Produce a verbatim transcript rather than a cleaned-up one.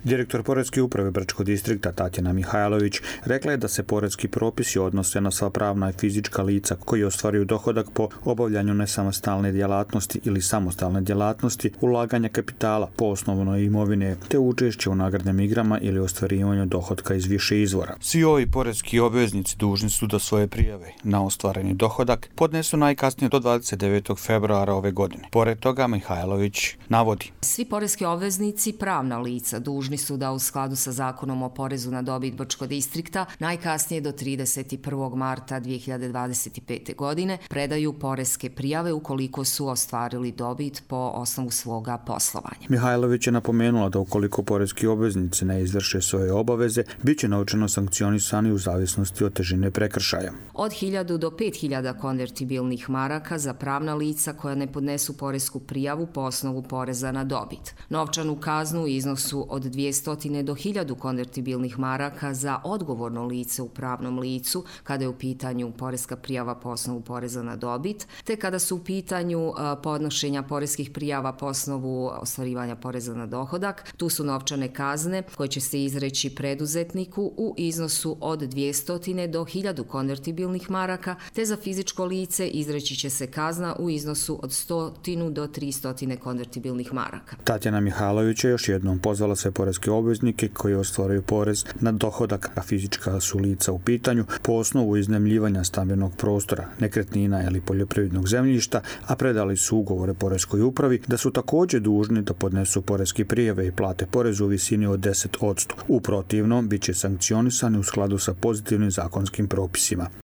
Direktor Poreske uprave Brčkog distrikta Tatjana Mihajlović rekla je da se poreski propisi odnose na sva pravna i fizička lica koji ostvaruju dohodak po obavljanju nesamostalne djelatnosti ili samostalne djelatnosti, ulaganja kapitala po osnovnoj imovine te učešće u nagradnim igrama ili ostvarivanju dohotka iz više izvora. Svi ovi poreski obveznici dužni su da svoje prijave na ostvareni dohodak podnesu najkasnije do dvadeset devetog februara ove godine. Pored toga Mihajlović navodi: Svi poreski obveznici, pravna lica, dužni su da u skladu sa Zakonom o porezu na dobit Brčkog distrikta najkasnije do trideset prvog marta dvije hiljade dvadeset pete. godine predaju poreske prijave ukoliko su ostvarili dobit po osnovu svoga poslovanja. Mihajlović je napomenula da ukoliko poreski obveznici ne izvrše svoje obaveze, bit će novčano sankcionisani u zavisnosti od težine prekršaja. Od hiljadu do pet hiljada konvertibilnih maraka za pravna lica koja ne podnesu poresku prijavu po osnovu poreza na dobit. Novčanu kaznu u iznosu od dvjesto do hiljadu konvertibilnih maraka za odgovorno lice u pravnom licu kada je u pitanju poreska prijava po osnovu poreza na dobit, te kada su u pitanju podnošenja poreskih prijava po osnovu ostvarivanja poreza na dohodak. Tu su novčane kazne koje će se izreći preduzetniku u iznosu od dvjesto do hiljadu konvertibilnih maraka, te za fizičko lice izreći će se kazna u iznosu od sto do tristo konvertibilnih maraka. Tatjana Mihajlović je još jednom pozvala sve poreske obveznike koji ostvaruju porez na dohodak, a fizička su lica u pitanju po osnovu iznajmljivanja stambenog prostora, nekretnina ili poljoprivrednog zemljišta, a predali su ugovore poreskoj upravi, da su također dužni da podnesu poreske prijave i plate porez u visini od deset posto. U protivnom, bit će sankcionisani u skladu sa pozitivnim zakonskim propisima.